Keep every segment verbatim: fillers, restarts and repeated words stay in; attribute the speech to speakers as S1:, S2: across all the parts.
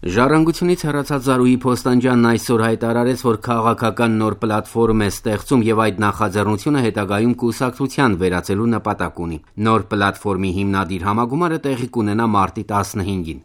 S1: Ժառանգությունից հեռացած Զարուհի Փոստանջյանն այսօր հայտարարեց, որ քաղաքական նոր պլատֆորմ է ստեղծում եւ այդ նախաձեռնությունը հետագայում կուսակցության վերածելու նպատակ ունի։ Նոր պլատֆորմի հիմնադիր համագումարը տեղի կունենա մարտի տասնհինգին։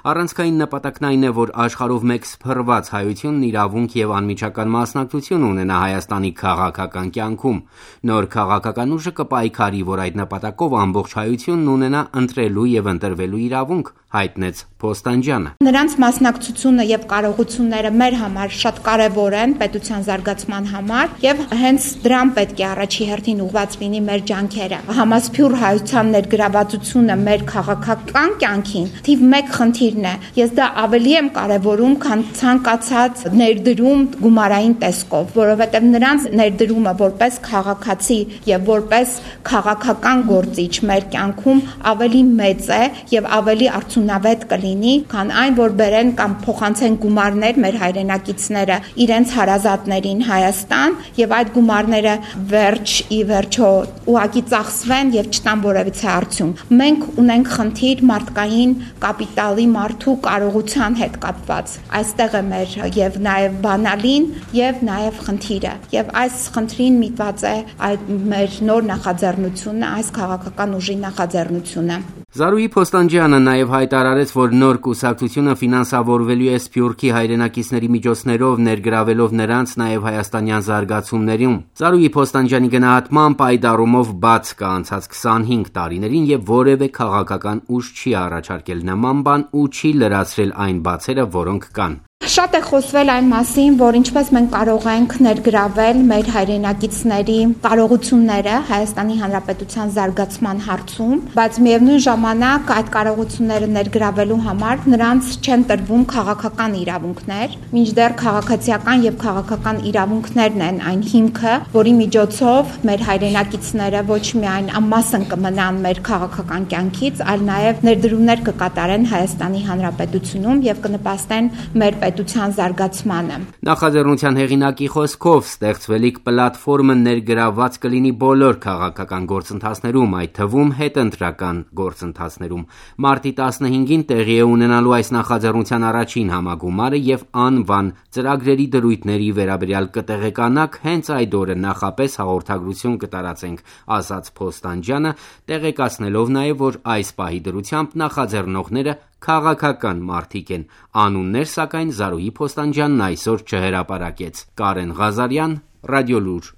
S1: Առանցքային նպատակն այն է, որ աշխարհով մեկ սփռված հայությունն իրավունք եւ անմիջական մասնակցություն ունենա Հայաստանի քաղաքական կյանքում։ Նոր քաղաքական ուժը կպայքարի, որ այդ նպատակով ամբողջ հայությունն ունենա ընտրելու եւ ընտրվելու իրավունք, հայտնեց Փոստանջյանը։
S2: Նրանց մասնակցությունը եւ կարողությունները մեր համար շատ կարեւոր են պետության զարգացման համար եւ հենց դրան պետք է առաջի հերթին ուղղված լինի մեր ջանքերը։ Համասփյուռ հայության ներգրավվածությունը մեր քաղաքական կյանքին թիվ մեկ խնդիրն է։ Ես դա ավելի եմ կարեւորում, քան ցանկացած ներդրում գումարային տեսքով, որովհետեւ նրանց ներդրումը որպես քաղաքացի եւ որպես քաղաքական գործիչ մեր կյանքում ավելի մեծ է եւ ավելի արդյունավետ կլինի, քան այն, որ բերեն կամ փոխանցեն գումարներ մեր հայրենակիցները իրենց հարազատներին Հայաստան եւ այդ գումարները վերջ ի վերջո ուղղակի ծախսվեն եւ չտան որևիցե արդյունք։ Մենք ունենք խնդիր մարդկային կապիտալի մարդու կարողության հետ կապված։ Այստեղ է մեր եւ նաեւ բանալին եւ նաեւ խնդիրը։ Եվ այս խնդրին միտված է այդ մեր նոր նախաձեռնությունը, այս քաղաքական ուժի նախաձեռնությունը։
S1: Զարուհի Փոստանջյանը նաև հայտարարեց, որ նոր կուսակցությունը ֆինանսավորվելու է Սփյուռքի հայրենակիցների միջոցներով, ներգրավելով նրանց նաև հայաստանյան զարգացումներում։ Զարուհի Փոստանջյանի գնահատմամբ այդ առումով բաց կա անցած քսանհինգ տարիներին եւ որևէ քաղաքական ուժ չի առաջարկել նման բան ու չի լրացրել այն բացերը, որոնք կան։
S2: Շատ է խոսվել այն մասին, որ ինչպես մենք կարող ենք ներգրավել մեր հայրենակիցների կարողությունները Հայաստանի Հանրապետության զարգացման հարցում, բայց միևնույն ժամանակ այդ կարողությունները ներգրավելու համար նրանց չեն տրվում քաղաքական իրավունքներ, մինչդեռ քաղաքացիական եւ քաղաքական իրավունքներն են այն հիմքը, որի միջոցով մեր հայրենակիցները ոչ միայն անմասն կմնան մեր քաղաքական կյանքից, այլ նաեւ ներդրումներ կկատարեն Հայաստանի Հանրապետությունում եւ կնպաստեն մեր պետության զարգացմանը։
S1: Նախաձեռնության հեղինակի խոսքով ստեղծվելիք պլատֆորմը ներգրավված կլինի բոլոր քաղաքական գործընթացներում, այդ թվում հետընտրական գործընթացներում։ Մարտի տասնհինգին տեղի է ունենալու այս նախաձեռնության առաջին համագումարը եւ անվան ծրագրերի դրույթների վերաբերյալ կտեղեկանաք հենց այդ օրը նախապես հաղորդագրություն կտարածենք, ասաց Փոստանջյանը, տեղեկացնելով նաեւ, որ այս պահի դրությամբ նախաձեռնողները քաղաքական մարդիկ են։ Անուններ սակայն Զարուհի Փոստանջյանն այսօր չհրապարակեց։ Կարեն Ղազարյան, Ռադիոլուր։